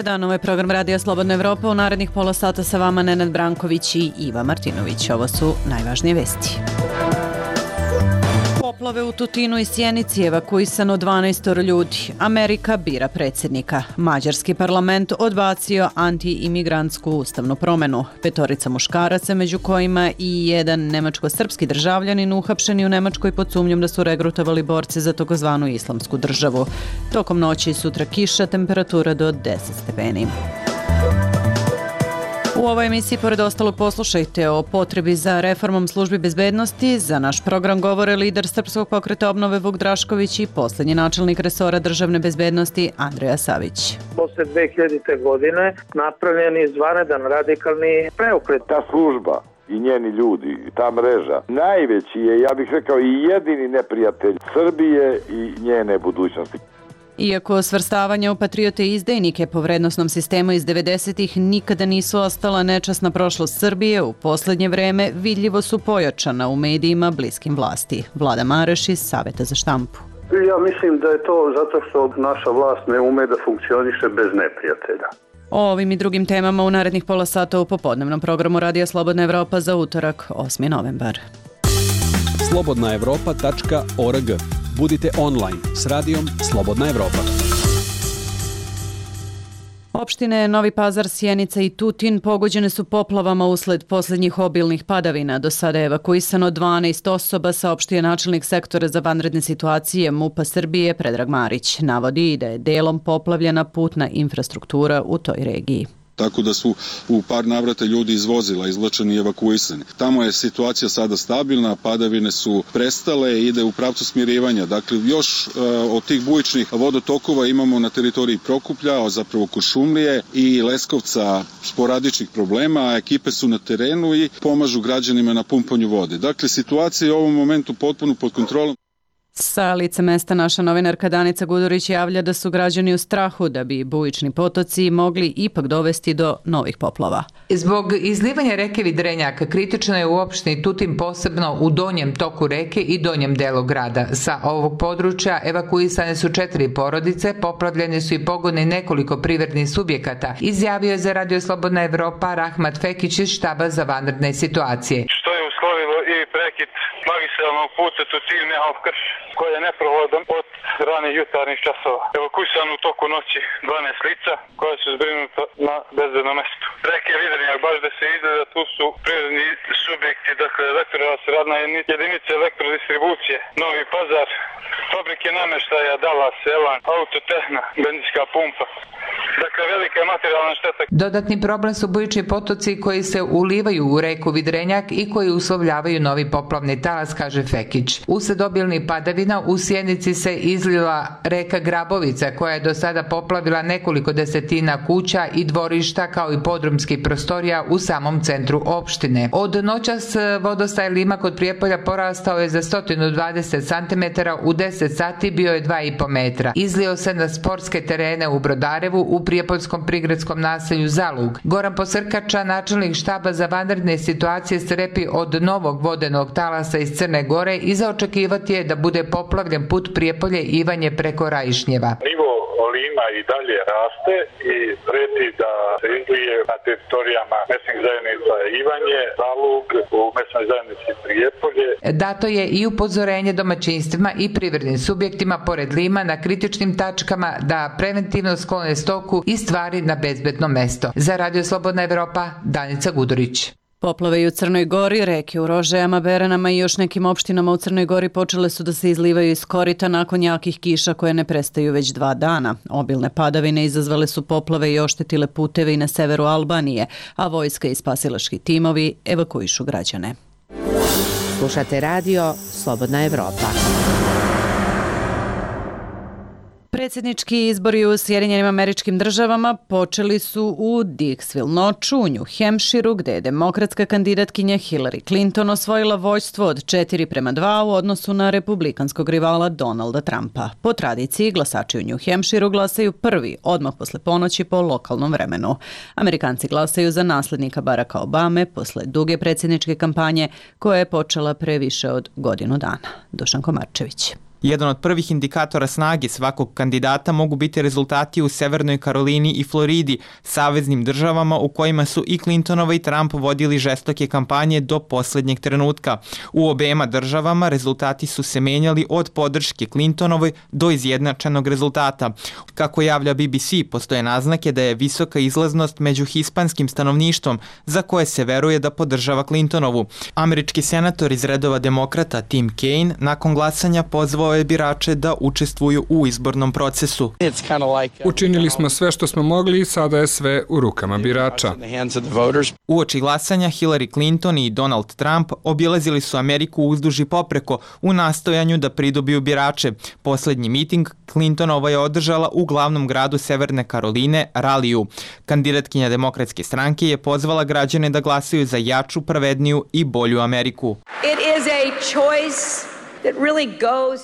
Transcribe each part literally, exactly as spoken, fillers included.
dan, ovo je program Radija Slobodna Evropa. U narednih pola sata sa vama Nenad Branković i Iva Martinović. Ovo su najvažnije vesti. Poplave u Tutinu i Sjenici, evakuisano dvanaest ljudi. Amerika bira predsjednika. Mađarski parlament odbacio anti-imigrantsku ustavnu promjenu. Petorica muškaraca, među kojima i jedan nemačko-srpski državljanin, uhapšeni u Nemačkoj pod sumnjom da su regrutovali borce za takozvanu islamsku državu. Tokom noći i sutra kiša, temperatura do deset stepeni. U ovoj emisiji, pored ostalo, poslušajte o potrebi za reformom službi bezbednosti. Za naš program govore lider Srpskog pokreta obnove Vuk Drašković i posljednji načelnik resora državne bezbednosti Andreja Savić. Posle dve hiljadite. godine napravljen je izvanredan radikalni preokret. Ta služba i njeni ljudi, ta mreža, najveći je, ja bih rekao, i jedini neprijatelj Srbije i njene budućnosti. Iako svrstavanja u patriote i izdajnike po vrednosnom sistemu iz devedesetih nikada nisu ostala nečasna prošlost Srbije, u posljednje vreme vidljivo su pojačana u medijima bliskim vlasti. Vlada Mareš iz Saveta za štampu. Ja mislim da je to zato što naša vlast ne ume da funkcioniše bez neprijatelja. O ovim i drugim temama u narednih pola sata u popodnevnom programu Radija Slobodna Evropa za utorak, osmi novembar. slobodna evropa tačka org. Budite online s radijom Slobodna Evropa. Opštine Novi Pazar, Sjenica i Tutin pogođene su poplavama usled posljednjih obilnih padavina. Do sada je evakuisano dvanaest osoba, saopštio načelnik sektora za vanredne situacije MUP-a Srbije Predrag Marić. Navodi da je delom poplavljena putna infrastruktura u toj regiji. Tako da su u par navrata ljudi iz vozila izvlačeni i evakuisani. Tamo je situacija sada stabilna, padavine su prestale, ide u pravcu smirivanja. Dakle, još uh, od tih bujičnih vodotokova imamo na teritoriji Prokuplja, zapravo Kuršumlije i Leskovca sporadičnih problema, a ekipe su na terenu i pomažu građanima na pumpanju vode. Dakle, situacija je u ovom momentu potpuno pod kontrolom. Sa lice mesta naša novinarka Danica Gudurić javlja da su građani u strahu da bi bujični potoci mogli ipak dovesti do novih poplava. Zbog izlivanja reke Vidrenjak kritično je u opštini Tutin, posebno u donjem toku reke i donjem delu grada. Sa ovog područja evakuisane su četiri porodice, poplavljeni su i pogoni nekoliko privrednih subjekata, izjavio je za Radio Slobodna Evropa Rahmat Fekić iz štaba za vanredne situacije. Što je uslovilo i prekid magistralnog puta Tutin-Mehalv-Krš, koji je neprohodan od ranih jutarnjih časova. Evakuisano u toku noći dvanaest lica koja su zbrinuta na bezbedno mesto. Reke Vidrenjak, baš da se izgleda, tu su prirodni subjekti, dakle elektroras, radna jedinica elektrodistribucije, Novi Pazar, fabrike namještaja, Dalas, Elan, Autotehna, benzinska pumpa. Dakle, velika je materijalna šteta. Dodatni problem su bujični potoci koji se ulivaju u reku Vidrenjak i koji uslovljavaju novi poplavni talas, kaže Fekić. Usled obilnih padavina u Sjenici se izlila reka Grabovica, koja je do sada poplavila nekoliko desetina kuća i dvorišta kao i podrumskih prostorija u samom centru opštine. Od noćas vodostaj Lima kod Prijepolja porastao je za sto dvadeset centimetara, u deset sati bio je dva i po metra. Izlio se na sportske terene u Brodarevu, u prijepoljskom prigradskom naselju Zalug. Goran Posrkača, načelnik štaba za vanredne situacije, strepi od novog vodenog talasa iz Crne Gore i za očekivati je da bude poplavljen put Prijepolje Ivanje preko Rajišnjeva. Nivo Lima i dalje raste i preti da se izlije na teritorijama mesnih zajednica Ivanje, Zalug, u mesnoj zajednici Prijepolje. Dato je i upozorenje domaćinstvima i privrednim subjektima pored Lima na kritičnim tačkama da preventivno sklone stoku i stvari na bezbedno mesto. Za Radio Slobodna Evropa, Danica Gudurić. Poplave i u Crnoj Gori, reke u Rožajama, Beranama i još nekim opštinama u Crnoj Gori počele su da se izlivaju iz korita nakon jakih kiša koje ne prestaju već dva dana. Obilne padavine izazvale su poplave i oštetile puteve i na severu Albanije, a vojska i spasilački timovi evakuišu građane. Slušate radio Slobodna Evropa. Predsjednički izbori u Sjedinjenim Američkim Državama počeli su u Dixville noću u New Hampshireu, gde je demokratska kandidatkinja Hillary Clinton osvojila vođstvo od četiri prema dva u odnosu na republikanskog rivala Donalda Trumpa. Po tradiciji, glasači u New Hampshireu glasaju prvi, odmah posle ponoći po lokalnom vremenu. Amerikanci glasaju za naslednika Baracka Obame posle duge predsjedničke kampanje koja je počela pre više od godinu dana. Dušan Komarčević. Jedan od prvih indikatora snage svakog kandidata mogu biti rezultati u Severnoj Karolini i Floridi, saveznim državama u kojima su i Clintonova i Trump vodili žestoke kampanje do poslednjeg trenutka. U obema državama rezultati su se menjali od podrške Clintonovoj do izjednačenog rezultata. Kako javlja B B C, postoje naznake da je visoka izlaznost među hispanskim stanovništvom za koje se veruje da podržava Clintonovu. Američki senator iz redova demokrata Tim Kaine nakon glasanja pozvao je birače da učestvuju u izbornom procesu. Učinili smo sve što smo mogli i sada je sve u rukama birača. Uoči glasanja Hillary Clinton i Donald Trump obilazili su Ameriku uzduž i popreko u nastojanju da pridobiju birače. Poslednji miting Clintonova je održala u glavnom gradu Severne Karoline, Raliju. Kandidatkinja Demokratske stranke je pozvala građane da glasaju za jaču, pravedniju i bolju Ameriku. It is a choice.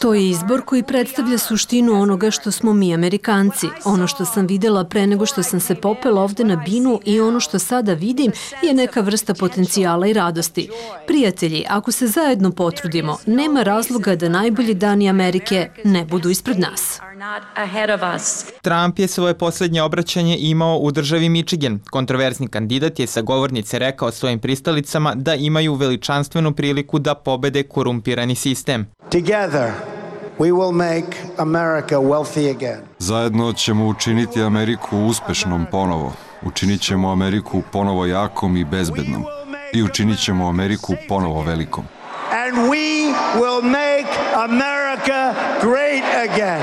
To je izbor koji predstavlja suštinu onoga što smo mi Amerikanci. Ono što sam videla pre nego što sam se popela ovde na binu i ono što sada vidim je neka vrsta potencijala i radosti. Prijatelji, ako se zajedno potrudimo, nema razloga da najbolji dani Amerike ne budu ispred nas. Trump je svoje poslednje obraćanje imao u državi Michigan. Kontroverzni kandidat je sa govornice rekao svojim pristalicama da imaju veličanstvenu priliku da pobede korumpirani sistem. Together we will make America wealthy again. Zajedno ćemo učiniti Ameriku uspešnom ponovo. Učinit ćemo Ameriku ponovo jakom i bezbednom. I učinit ćemo Ameriku ponovo velikom. And we will make America great again.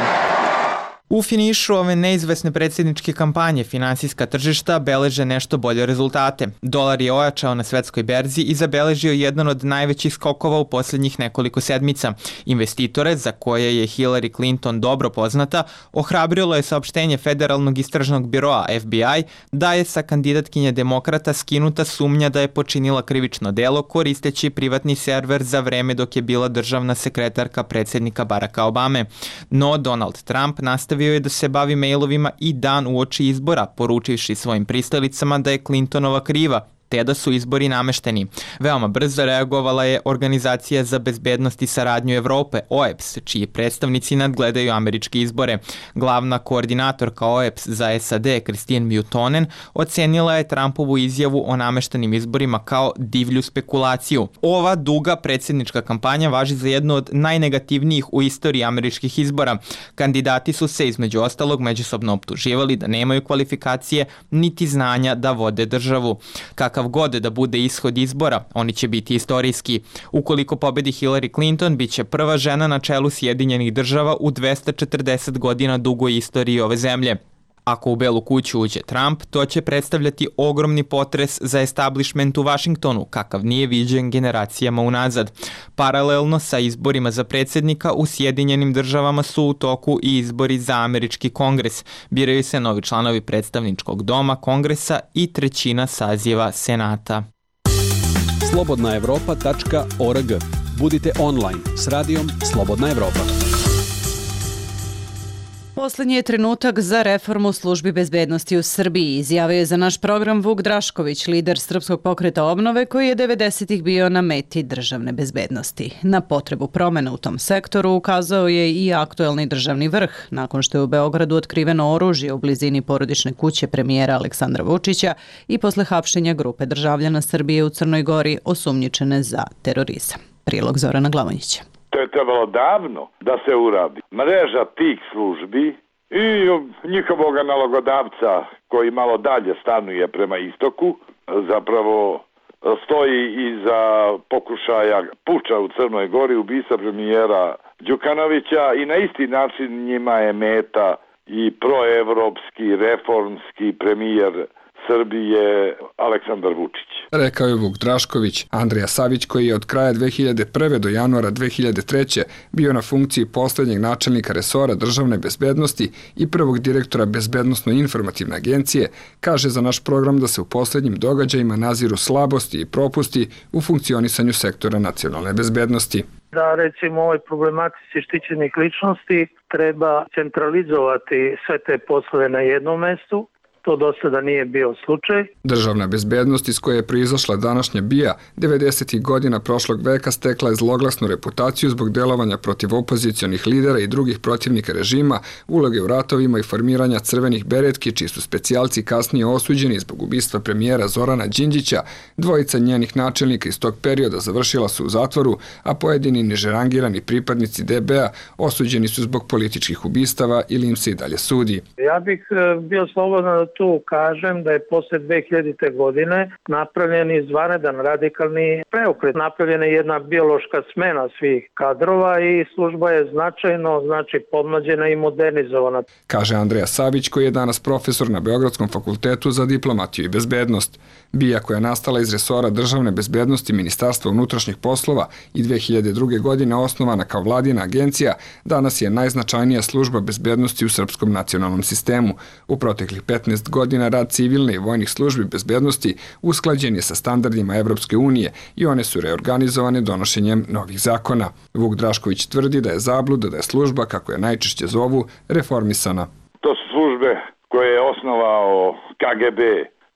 U finišu ove neizvesne predsjedničke kampanje finansijska tržišta beleže nešto bolje rezultate. Dolar je ojačao na svetskoj berzi i zabeležio jedan od najvećih skokova u posljednjih nekoliko sedmica. Investitore, za koje je Hillary Clinton dobro poznata, ohrabrilo je saopštenje Federalnog istražnog biroa F B I da je sa kandidatkinje demokrata skinuta sumnja da je počinila krivično delo koristeći privatni server za vreme dok je bila državna sekretarka predsjednika Baracka Obame. No Donald Trump nastavio je da se bavi mailovima i dan uoči izbora, poručivši svojim pristalicama da je Clintonova kriva, te da su izbori namešteni. Veoma brzo reagovala je Organizacija za bezbednost i saradnju Evrope, O E P S, čiji predstavnici nadgledaju američke izbore. Glavna koordinatorka O E P S za S A D, Christine Buchanan, ocenila je Trumpovu izjavu o nameštenim izborima kao divlju spekulaciju. Ova duga predsjednička kampanja važi za jednu od najnegativnijih u istoriji američkih izbora. Kandidati su se između ostalog međusobno optuživali da nemaju kvalifikacije niti znanja da vode državu. Kakav god da bude ishod izbora, oni će biti istorijski. Ukoliko pobedi Hillary Clinton, bit će prva žena na čelu Sjedinjenih država u dvesta četrdeset godina dugoj istoriji ove zemlje. Ako u Belu kuću uđe Trump, to će predstavljati ogromni potres za establishment u Vašingtonu, kakav nije viđen generacijama unazad. Paralelno sa izborima za predsjednika u Sjedinjenim državama su u toku i izbori za američki kongres. Biraju se novi članovi predstavničkog doma, kongresa i trećina saziva senata. slobodna evropa tačka org. Budite online s radijom Slobodna Evropa. Poslednji je trenutak za reformu službi bezbednosti u Srbiji, izjavio je za naš program Vuk Drašković, lider Srpskog pokreta obnove koji je devedesetih bio na meti državne bezbednosti. Na potrebu promene u tom sektoru ukazao je i aktuelni državni vrh, nakon što je u Beogradu otkriveno oružje u blizini porodične kuće premijera Aleksandra Vučića i posle hapšenja grupe državljana Srbije u Crnoj Gori osumnjičene za terorizam. Prilog Zorana Glavonjića. To je trebalo davno da se uradi. Mreža tih službi i njihovog nalogodavca koji malo dalje stanuje prema istoku, zapravo stoji iza pokušaja puča u Crnoj Gori, ubistva premijera Đukanovića i na isti način njima je meta i proevropski, reformski premijer Srbije Aleksandar Vučić. Rekao je Vuk Drašković. Andrija Savić, koji je od kraja dve hiljade prve do januara dve hiljade treće bio na funkciji poslednjeg načelnika resora državne bezbednosti i prvog direktora Bezbednosno-informativne agencije, kaže za naš program da se u poslednjim događajima naziru slabosti i propusti u funkcionisanju sektora nacionalne bezbednosti. Da recimo ovoj problematici štićenih ličnosti treba centralizovati sve te poslove na jednom mestu. To do sada nije bio slučaj. Državna bezbednost iz koje je proizašla današnja B I A devedesetih godina prošlog veka stekla je zloglasnu reputaciju zbog delovanja protiv opozicionih lidera i drugih protivnika režima, uloge u ratovima i formiranja crvenih beretki, čiji su specijalci kasnije osuđeni zbog ubistva premijera Zorana Đinđića. Dvojica njenih načelnika iz tog perioda završila su u zatvoru, a pojedini nižerangirani pripadnici D B A osuđeni su zbog političkih ubistava ili im se i dalje sudi. Ja bih bio slobodan da tu kažem da je posle dve hiljadite. godine napravljen izvanredan radikalni preokret. Napravljena je jedna biološka smena svih kadrova i služba je značajno, znači, pomlađena i modernizovana. Kaže Andreja Savić, koji je danas profesor na Beogradskom fakultetu za diplomatiju i bezbednost. B I A, koja je nastala iz resora državne bezbednosti Ministarstva unutrašnjih poslova i dve hiljade druge. godine osnovana kao vladina agencija, danas je najznačajnija služba bezbednosti u srpskom nacionalnom sistemu. U proteklih petnaest godina rad civilne i vojnih službi bezbednosti usklađen je sa standardima Evropske unije i one su reorganizovane donošenjem novih zakona. Vuk Drašković tvrdi da je zabluda da je služba, kako je najčešće zovu, reformisana. To su službe koje je osnovao K G B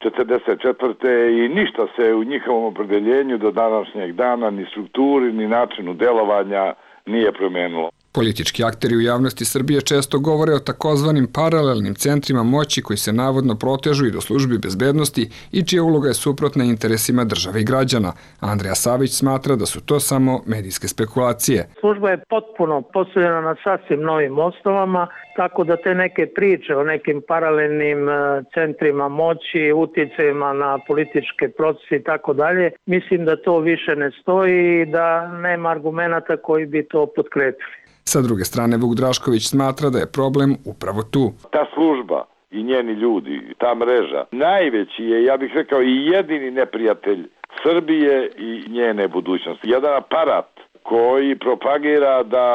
četrdeset četvrte. i ništa se u njihovom opredeljenju do današnjeg dana, ni strukturi, ni načinu delovanja nije promenilo. Politički akteri u javnosti Srbije često govore o takozvanim paralelnim centrima moći koji se navodno protežu i do službi bezbednosti i čija uloga je suprotna interesima države i građana. Andreja Savić smatra da su to samo medijske spekulacije. Služba je potpuno postavljena na sasvim novim osnovama, tako da te neke priče o nekim paralelnim centrima moći, uticajima na političke procese i tako dalje, mislim da to više ne stoji i da nema argumenata koji bi to potkrepili. Sa druge strane, Vuk Drašković smatra da je problem upravo tu. Ta služba i njeni ljudi, ta mreža, najveći je, ja bih rekao, i jedini neprijatelj Srbije i njene budućnosti. Jedan aparat koji propagira da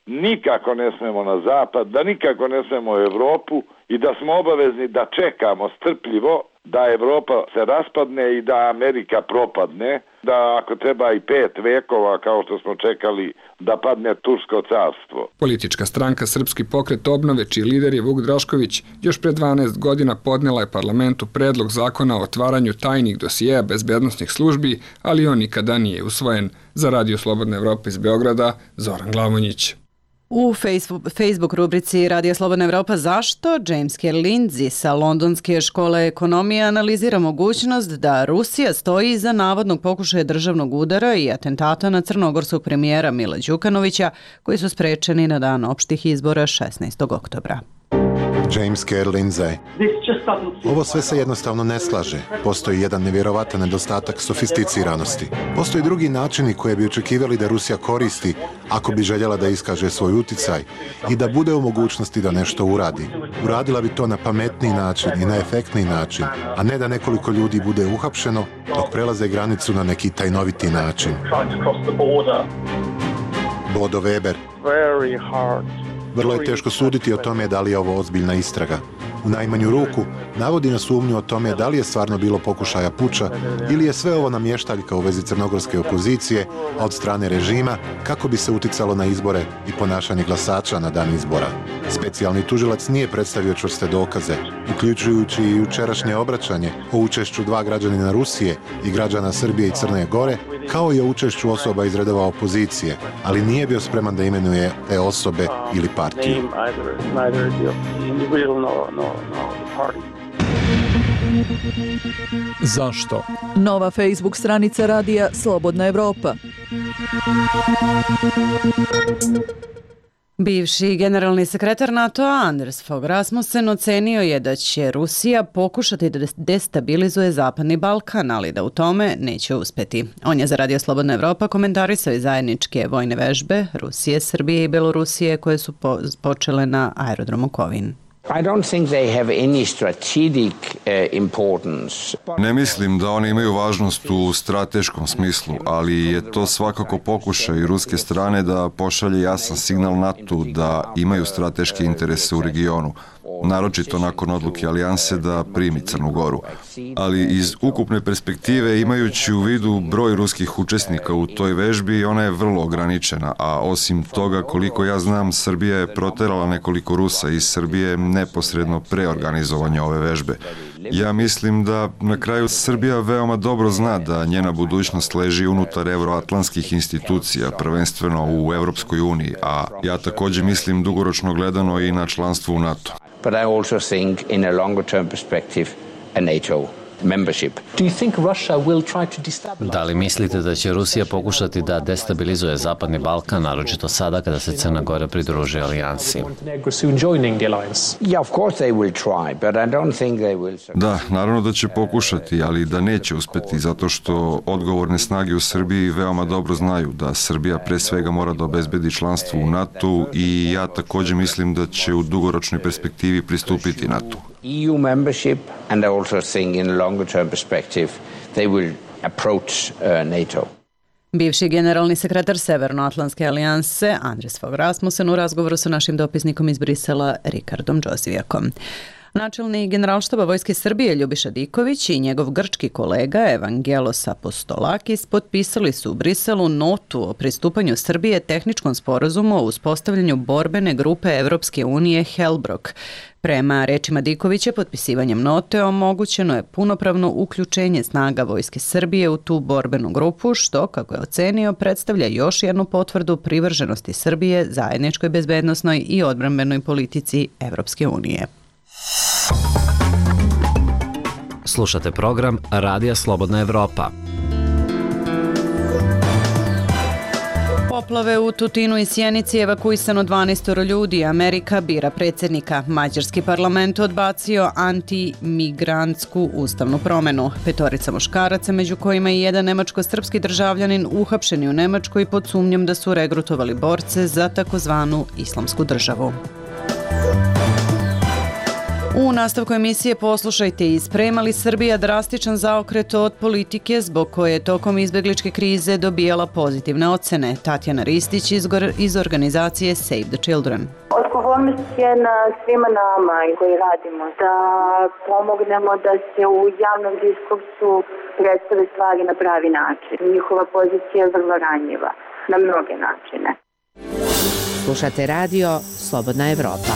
nikako ne smemo na zapad, da nikako ne smemo u Evropu i da smo obavezni da čekamo strpljivo da Evropa se raspadne i da Amerika propadne, da ako treba i pet vekova kao što smo čekali da padne Tursko carstvo. Politička stranka Srpski pokret obnove, čiji lider je Vuk Drašković, još pre dvanaest godina podnela je parlamentu predlog zakona o otvaranju tajnih dosijeja bezbednosnih službi, ali on nikada nije usvojen. Za Radio Slobodna Evropa iz Beograda, Zoran Glavonjić. U Facebook rubrici Radio Slobodna Evropa zašto James K. Lindsay sa Londonske škole ekonomije analizira mogućnost da Rusija stoji iza navodnog pokušaja državnog udara i atentata na crnogorskog premijera Mila Đukanovića, koji su sprečeni na dan opštih izbora šesnaestog oktobra. James K. Lindsay. Ovo sve se jednostavno ne slaže. Postoji jedan nevjerovatan nedostatak sofisticiranosti. Postoji drugi načini koje bi očekivali da Rusija koristi ako bi željela da iskaže svoj uticaj i da bude u mogućnosti da nešto uradi. Uradila bi to na pametniji način i na efektniji način, a ne da nekoliko ljudi bude uhapšeno dok prelaze granicu na neki tajnoviti način. Bodo Weber. Vrlo je teško suditi o tome da li je ovo ozbiljna istraga. U najmanju ruku navodi na sumnju o tome da li je stvarno bilo pokušaja puča ili je sve ovo namještaljka u vezi crnogorske opozicije od strane režima kako bi se uticalo na izbore i ponašanje glasača na dan izbora. Specijalni tužilac nije predstavio čvrste dokaze, uključujući i jučerašnje obraćanje o učešću dva građanina Rusije i građana Srbije i Crne Gore, kao i o učešću osoba iz redova opozicije, ali nije bio spreman da imenuje te osobe ili partiju. Zašto? Nova Facebook stranica radija Slobodna Evropa. Bivši generalni sekretar NATO-a Anders Fogh Rasmussen ocenio je da će Rusija pokušati da destabilizuje Zapadni Balkan, ali da u tome neće uspeti. On je za Radio Slobodna Evropa komentarisao i zajedničke vojne vežbe Rusije, Srbije i Belorusije koje su po počele na aerodromu Kovin. I don't think they have any strategic uh, importance. Ne mislim da oni imaju važnost u strateškom smislu, ali je to svakako pokušaj ruske strane da pošalje jasan signal NATO da imaju strateške interese u regionu. naročito nakon odluke alijanse da primi Crnu Goru. Ali iz ukupne perspektive, imajući u vidu broj ruskih učesnika u toj vežbi, ona je vrlo ograničena, a osim toga, koliko ja znam, Srbija je proterala nekoliko Rusa iz Srbije neposredno pre organizovanja ove vežbe. Ja mislim da na kraju Srbija veoma dobro zna da njena budućnost leži unutar evroatlantskih institucija, prvenstveno u Evropskoj uniji, a ja takođe mislim dugoročno gledano i na članstvo u NATO. But I also think in a longer term perspective a NATO membership. Do you think Russia will try to destabilize? Da li mislite da će Rusija pokušati da destabilizuje Zapadni Balkan, naročito sada kada se Crna Gora pridruži alijansi? Yeah, of course they will try, but I don't think they will. Da, naravno da će pokušati, ali da neće uspeti, zato što odgovorne snage u Srbiji veoma dobro znaju da Srbija pre svega mora da obezbedi članstvo u NATO i ja takođe mislim da će u dugoročnoj perspektivi pristupiti NATO. E U membership, and I also think in a longer term perspective they will approach uh, NATO. Bivši generalni sekretar Severnoatlantske alijanse Andres Fogh Rasmussen u razgovoru sa našim dopisnikom iz Brisela Rikardom Džozijakom. Načelnik Generalštaba Vojske Srbije Ljubiša Diković i njegov grčki kolega Evangelos Apostolakis potpisali su u Briselu notu o pristupanju Srbije tehničkom sporazumu o uspostavljanju borbene grupe Evropske unije Helbrok. Prema rečima Dikovića, potpisivanjem note omogućeno je punopravno uključenje snaga Vojske Srbije u tu borbenu grupu, što, kako je ocenio, predstavlja još jednu potvrdu privrženosti Srbije zajedničkoj bezbednosnoj i odbrambenoj politici Evropske unije. Slušate program Radija Slobodna Evropa. Poplave u Tutinu i Sjenici, evakuisano dvanaest ljudi. Amerika bira predsjednika. Mađarski parlament odbacio antimigrantsku ustavnu promenu. Petorica muškaraca, među kojima i jedan nemačko-srpski državljanin, uhapšeni u Nemačkoj pod sumnjom da su regrutovali borce za takozvanu islamsku državu. U nastavku emisije poslušajte i sprema li Srbija drastičan zaokret od politike zbog koje je tokom izbegličke krize dobijala pozitivne ocene. Tatjana Ristić iz, iz organizacije Save the Children. Odgovornost je na svima nama koji radimo da pomognemo da se u javnom diskursu predstave stvari na pravi način. Njihova pozicija je vrlo ranjiva na mnoge načine. Slušate radio Slobodna Evropa.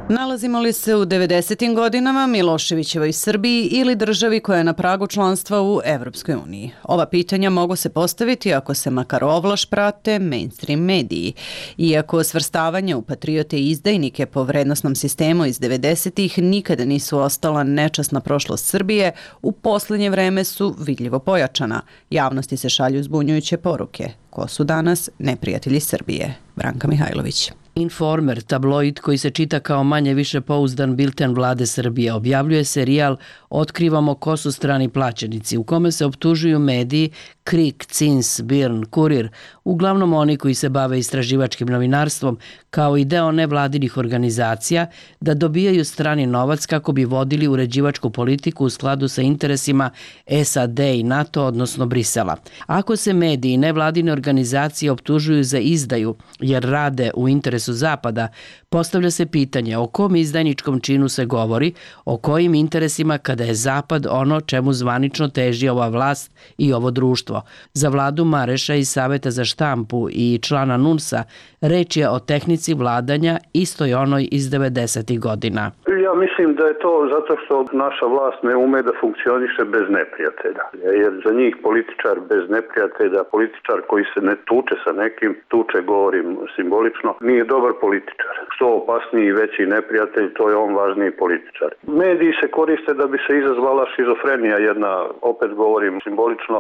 Nalazimo li se u devedesetim godinama, Miloševićevoj Srbiji ili državi koja je na pragu članstva u Evropskoj uniji? Ova pitanja mogu se postaviti ako se makar ovlaš prate mainstream mediji. Iako svrstavanje u patriote i izdajnike po vrednosnom sistemu iz devedesetih nikada nisu ostala nečasna prošlost Srbije, u posljednje vreme su vidljivo pojačana. Javnosti se šalju zbunjujuće poruke. Ko su danas neprijatelji Srbije? Branka Mihajlović. Informer, tabloid koji se čita kao manje više pouzdan bilten vlade Srbije, objavljuje serijal Otkrivamo ko su strani plaćenici, u kome se optužuju mediji Krik, Cins, Birn, Kurir, uglavnom oni koji se bave istraživačkim novinarstvom, kao i deo nevladinih organizacija, da dobijaju strani novac kako bi vodili uređivačku politiku u skladu sa interesima S A D i NATO, odnosno Brisela. Ako se mediji i nevladine organizacije optužuju za izdaju jer rade u interesu Zapada, postavlja se pitanje o kom izdajničkom činu se govori, o kojim interesima kada je Zapad ono čemu zvanično teži ova vlast i ovo društvo. Za vladu Mareša iz Saveta za štampu i člana N U N S-a reč je o tehnici vladanja istoj onoj iz devedesetih godina. Ja mislim da je to zato što naša vlast ne ume da funkcioniše bez neprijatelja. Jer za njih političar bez neprijatelja, političar koji se ne tuče sa nekim, tuče, govorim simbolično, nije dobar političar. Što opasniji i veći neprijatelj, to je on važniji političar. Mediji se koriste da bi se izazvala šizofrenija, jedna, opet govorim simbolično,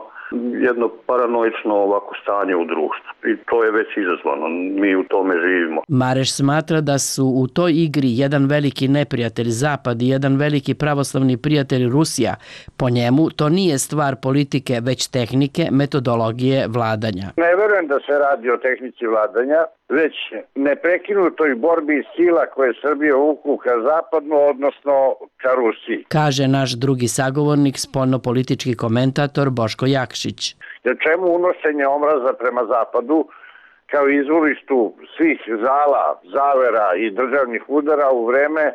jedno paranoično ovako stanje u društvu. I to je već izazvano. Mi u tome živimo. Mareš smatra da su u toj igri jedan veliki neprijatelj Zapad i jedan veliki pravoslavni prijatelj Rusija. Po njemu to nije stvar politike, već tehnike, metodologije vladanja. Ne verujem da se radi o tehnici vladanja, već neprekinutoj borbi sila koje Srbije vuku ka zapadno, odnosno ka Rusiji. Kaže naš drugi sagovornik, spoljnopolitički komentator Boško Jakšić. Jer čemu unošenje omraza prema zapadu kao izvorištu svih zala, zavera i državnih udara u vreme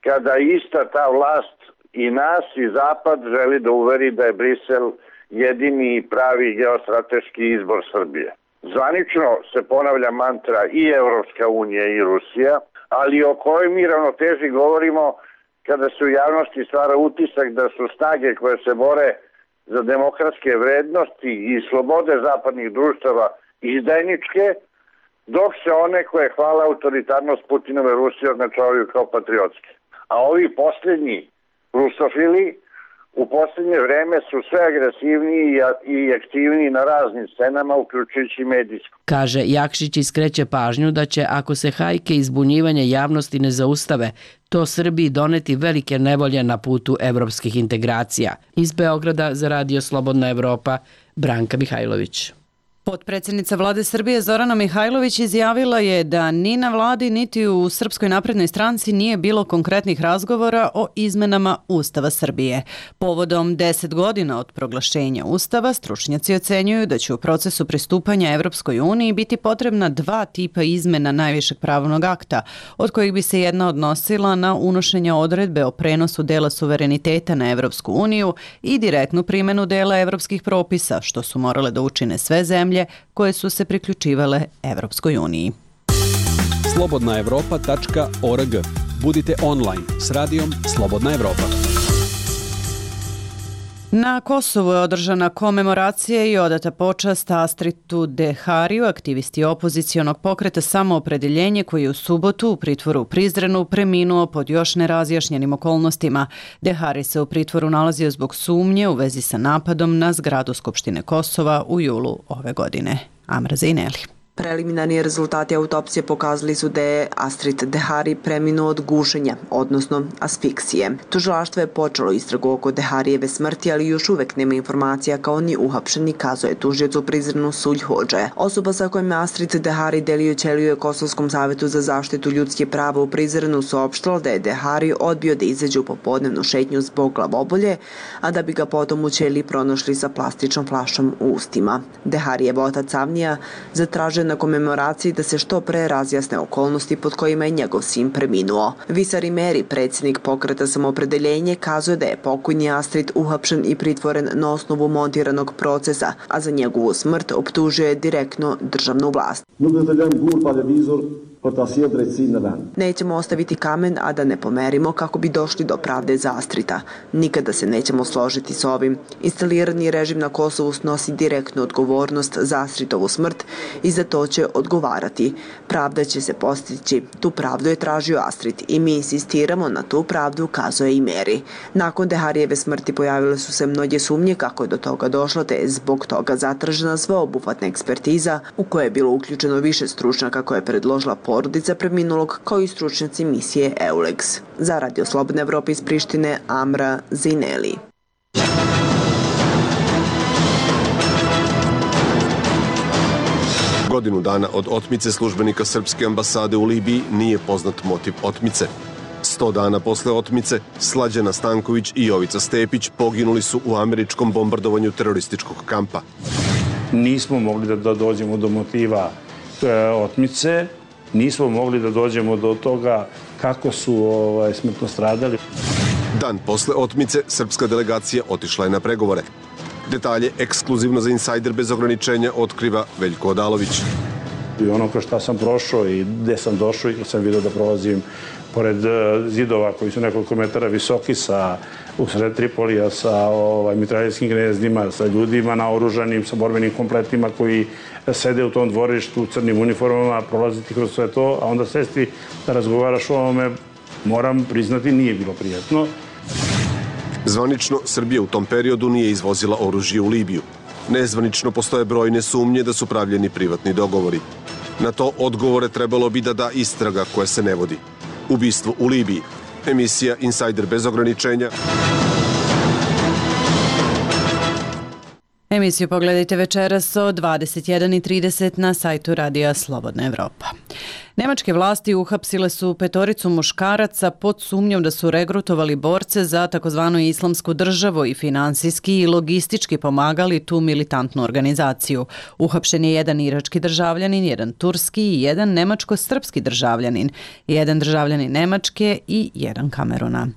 kada ista ta vlast i nas i Zapad želi da uveri da je Brisel jedini i pravi geostrateški izbor Srbije. Zvanično se ponavlja mantra i Evropska unija i Rusija, ali o kojoj mi ravnoteži govorimo kada se u javnosti stvara utisak da su snage koje se bore za demokratske vrednosti i slobode zapadnih društava izdajničke, dok se one koje hvale autoritarnost Putinove Rusije označavaju kao patriotske. A ovi posljednji rusofili u posljednje vreme su sve agresivniji i aktivniji na raznim scenama, uključujući medijsku. Kaže Jakšić i skreće pažnju da će, ako se hajke i zbunjivanje javnosti ne zaustave, to Srbiji doneti velike nevolje na putu evropskih integracija. Iz Beograda za Radio Slobodna Evropa, Branka Mihajlović. Potpredsjednica vlade Srbije Zorana Mihajlović izjavila je da ni na vladi niti u Srpskoj naprednoj stranci nije bilo konkretnih razgovora o izmenama Ustava Srbije. Povodom deset godina od proglašenja Ustava, stručnjaci ocenjuju da će u procesu pristupanja Evropskoj uniji biti potrebna dva tipa izmena najvišeg pravnog akta, od kojih bi se jedna odnosila na unošenje odredbe o prenosu dela suvereniteta na Evropsku uniju i direktnu primjenu dela evropskih propisa, što su morale da učine sve zemlje koje su se priključivale Evropskoj uniji. slobodna evropa tačka org. Budite online s radijom Slobodna Evropa. Na Kosovu je održana komemoracija i odata počast Astritu Dehariju, aktivisti opozicionog pokreta Samoopredeljenje, koji je u subotu u pritvoru u Prizrenu preminuo pod još nerazjašnjenim okolnostima. Dehari se u pritvoru nalazio zbog sumnje u vezi sa napadom na zgradu Skupštine Kosova u julu ove godine. Amra Zejneli. Preliminarni rezultati autopsije pokazali su da je Astrid Dehari preminuo od gušenja, odnosno asfiksije. Tužilaštvo je počelo istragu oko Deharijeve smrti, ali još uvek nema informacija kao ni uhapšeni, kazuje tužioc u Prizrenu Sulj Hodže. Osoba sa kojim je Astrid Dehari delio ćeliju je Kosovskom savetu za zaštitu ljudskih prava u Prizrenu saopštila da je Dehari odbio da izađe u popodnevnu šetnju zbog glavobolje, a da bi ga potom u ćeliji pronašli sa plastičnom flašom u ustima. Deharijev otac Avnija zatražio na komemoraciji da se što pre razjasne okolnosti pod kojima je njegov sin preminuo. Visari Meri, predsjednik pokreta Samoopredeljenje, kazuje da je pokojni Astrid uhapšen i pritvoren na osnovu montiranog procesa, a za njegovu smrt optužuje direktno državnu vlast. Nećemo ostaviti kamen, a da ne pomerimo kako bi došli do pravde za Astrita. Nikada se nećemo složiti s ovim. Instalirani režim na Kosovu snosi direktnu odgovornost za Astritovu smrt i za to će odgovarati. Pravda će se postići. Tu pravdu je tražio Astrid i mi insistiramo na tu pravdu, kazuje i Meri. Nakon Deharijeve smrti pojavile su se mnoge sumnje kako je do toga došlo, te je zbog toga zatražena sveobuhvatna ekspertiza u kojoj je bilo uključeno više stručnjaka koje je predložila porodica preminulog, kao i stručnjaci misije EULEX. Za Radio Slobodne Evrope iz Prištine, Amra Zineli. Godinu dana od otmice službenika Srpske ambasade u Libiji nije poznat motiv otmice. Sto dana posle otmice, Slađana Stanković i Jovica Stepić poginuli su u američkom bombardovanju terorističkog kampa. Nismo mogli da, da dođemo do motiva e, otmice, nismo mogli da dođemo do toga kako su ovaj, smrtno stradali. Dan posle otmice, srpska delegacija otišla je na pregovore. Detalje ekskluzivno za Insajder bez ograničenja otkriva Veljko Odalović. I ono kroz šta sam prošao i gde sam došao i sam vidio da prolazim pored zidova koji su nekoliko metara visoki sa usred Tripolija sa ovaj, mitraljerskim gnezdima, sa ljudima naoružanim, sa borbenim kompletima koji sede u tom dvorištu u crnim uniformama, prolaziti kroz sve to, a onda sesti da razgovaraš o ovome, moram priznati, nije bilo prijatno. Zvanično, Srbija u tom periodu nije izvozila oružje u Libiju. Nezvanično postoje brojne sumnje da su pravljeni privatni dogovori. Na to odgovore trebalo bi da da istraga koja se ne vodi. Ubistvo u Libiji. Emisija Insajder bez ograničenja. Emisiju pogledajte večeras od dvadeset jedan i trideset na sajtu Radija Slobodna Evropa. Nemačke vlasti uhapsile su petoricu muškaraca pod sumnjom da su regrutovali borce za takozvanu islamsku državu i finansijski i logistički pomagali tu militantnu organizaciju. Uhapšen je jedan irački državljanin, jedan turski i jedan nemačko-srpski državljanin, jedan državljanin Nemačke i jedan Kameruna.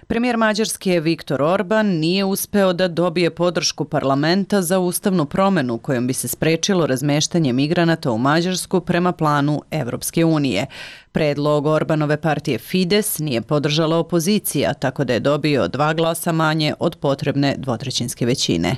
Premijer Mađarske Viktor Orban nije uspeo da dobije podršku parlamenta za ustavnu promenu kojom bi se sprečilo razmeštanje migranata u Mađarsku prema planu Evropske unije. Predlog Orbanove partije Fides nije podržala opozicija, tako da je dobio dva glasa manje od potrebne dvotrećinske većine.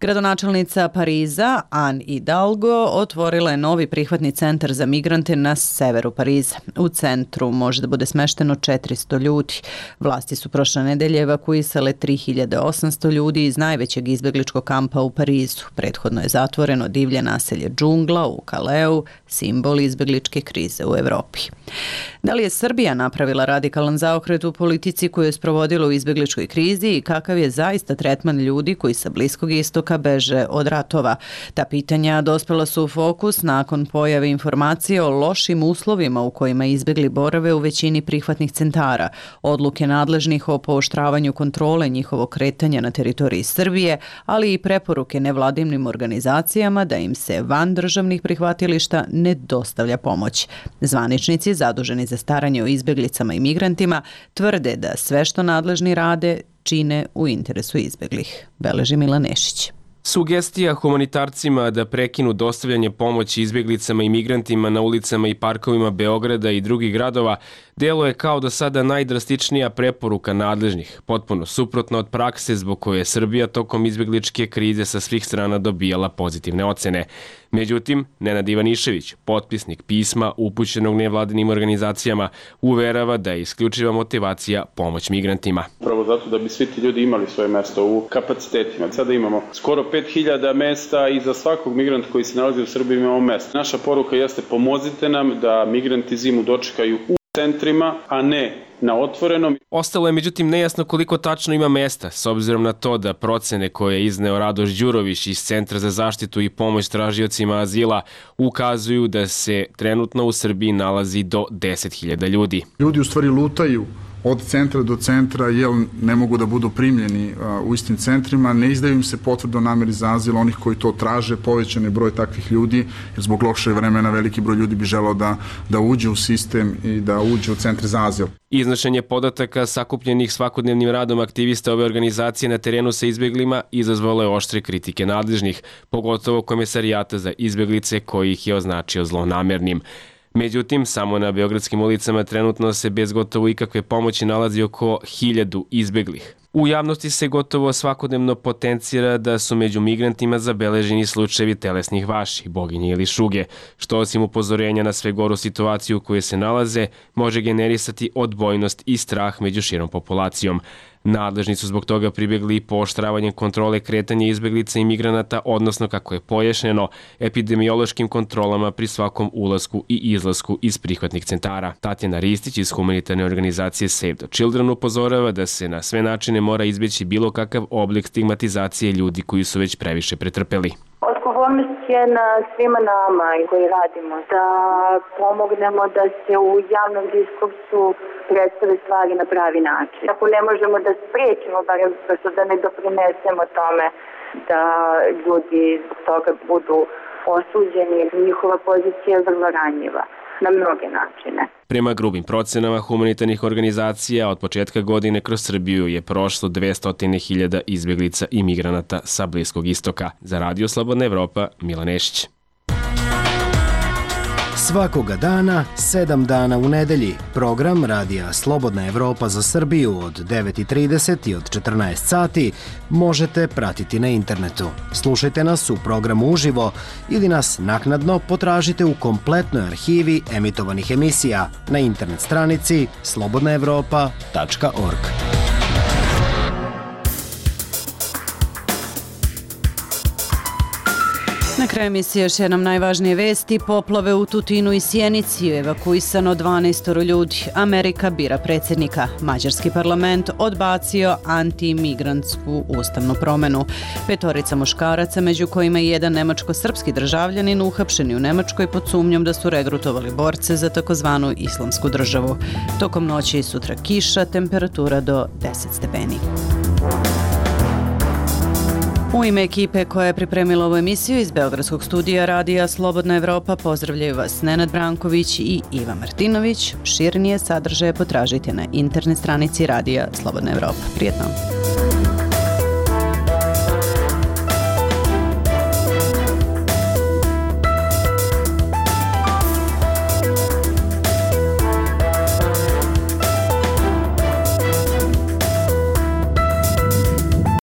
Gradonačelnica Pariza, Anne Hidalgo, otvorila je novi prihvatni centar za migrante na severu Pariza. U centru može da bude smešteno četiristo ljudi. Vlasti su prošle nedelje evakuisale tri hiljade osamsto ljudi iz najvećeg izbegličkog kampa u Parizu. Prethodno je zatvoreno divlje naselje džungla u Kaleu, simbol izbegličke krize u Evropi. Da li je Srbija napravila radikalan zaokret u politici koju je sprovodila u izbegličkoj krizi i kakav je zaista tretman ljudi koji sa Bliskog istoka beže od ratova? Ta pitanja dospela su u fokus nakon pojave informacije o lošim uslovima u kojima izbegli borave u većini prihvatnih centara, odluke nadležnih o pooštravanju kontrole njihovog kretanja na teritoriji Srbije, ali i preporuke nevladinim organizacijama da im se van državnih prihvatilišta ne dostavlja pomoć. Zvaničnici zaduženi za staranje o izbeglicama i migrantima tvrde da sve što nadležni rade čine u interesu izbeglih. Beleži Milan Nešić. Sugestija humanitarcima da prekinu dostavljanje pomoći izbjeglicama i migrantima na ulicama i parkovima Beograda i drugih gradova deluje kao do sada najdrastičnija preporuka nadležnih, potpuno suprotno od prakse zbog koje je Srbija tokom izbjegličke krize sa svih strana dobijala pozitivne ocene. Međutim, Nenad Ivanišević, potpisnik pisma upućenog nevladinim organizacijama, uverava da je isključiva motivacija pomoć migrantima. Prvo zato da bi svi ti ljudi imali svoje mesto u kapacitetima. Sada imamo skoro pet hiljada mesta i za svakog migranta koji se nalazi u Srbiji imamo mesto. Naša poruka jeste pomozite nam da migranti zimu dočekaju u centrima, a ne na otvorenom. Ostalo je međutim nejasno koliko tačno ima mesta, s obzirom na to da procene koje je izneo Radoš Đurović iz Centra za zaštitu i pomoć tražiocima azila ukazuju da se trenutno u Srbiji nalazi do deset hiljada ljudi. Ljudi u stvari lutaju od centra do centra, jer ne mogu da budu primljeni u istim centrima, ne izdaju im se potvrde o nameri za azil, onih koji to traže, povećan je broj takvih ljudi, jer zbog lošeg vremena veliki broj ljudi bi želeo da, da uđe u sistem i da uđe u centre za azil. Iznošenje podataka sakupljenih svakodnevnim radom aktivista ove organizacije na terenu sa izbjeglima izazvalo je oštre kritike nadležnih, pogotovo Komesarijata za izbjeglice koji ih je označio zlonamernim. Međutim, samo na beogradskim ulicama trenutno se bez gotovo ikakve pomoći nalazi oko hiljadu izbeglih. U javnosti se gotovo svakodnevno potencira da su među migrantima zabeleženi slučajevi telesnih vaši, boginje ili šuge, što osim upozorenja na sve goru situaciju u kojoj se nalaze, može generisati odbojnost i strah među širom populacijom. Nadležni su zbog toga pribjegli i pooštravanjem kontrole kretanja izbeglica i migranata, odnosno, kako je pojašnjeno, epidemiološkim kontrolama pri svakom ulasku i izlasku iz prihvatnih centara. Tatjana Ristić iz humanitarne organizacije Save the Children upozorava da se na sve načine mora izbjeći bilo kakav oblik stigmatizacije ljudi koji su već previše pretrpeli. Odgovornost je na svima nama koji radimo da pomognemo da se u javnom diskursu predstave stvari na pravi način. Ako ne možemo da spriječimo, barem da ne doprinesemo tome da ljudi zbog toga budu osuđeni, njihova pozicija je vrlo ranjiva na mnoge načine. Prema grubim procenama humanitarnih organizacija, od početka godine kroz Srbiju je prošlo dvesta hiljada izbjeglica i migranata sa Bliskog istoka. Za Radio Slobodna Evropa, Milan Nešić. Svakoga dana, sedam dana u nedelji, program Radija Slobodna Evropa za Srbiju od devet i trideset i od četrnaest sati možete pratiti na internetu. Slušajte nas u programu uživo ili nas naknadno potražite u kompletnoj arhivi emitovanih emisija na internet stranici slobodna evropa tačka org. Na kraju emisije još jednom najvažnije vesti. Poplave u Tutinu i Sjenici, evakuisano dvanaest ljudi. Amerika bira predsjednika. Mađarski parlament odbacio antimigrantsku ustavnu promenu. Petorica muškaraca, među kojima i jedan nemačko-srpski državljanin, uhapšeni u Nemačkoj pod sumnjom da su regrutovali borce za takozvanu islamsku državu. Tokom noći i sutra kiša, temperatura do deset stepeni. U ime ekipe koja je pripremila ovu emisiju iz Beogradskog studija Radija Slobodna Evropa pozdravljaju vas Nenad Branković i Iva Martinović. Širnije sadržaje potražite na internet stranici Radija Slobodna Evropa. Prijetno!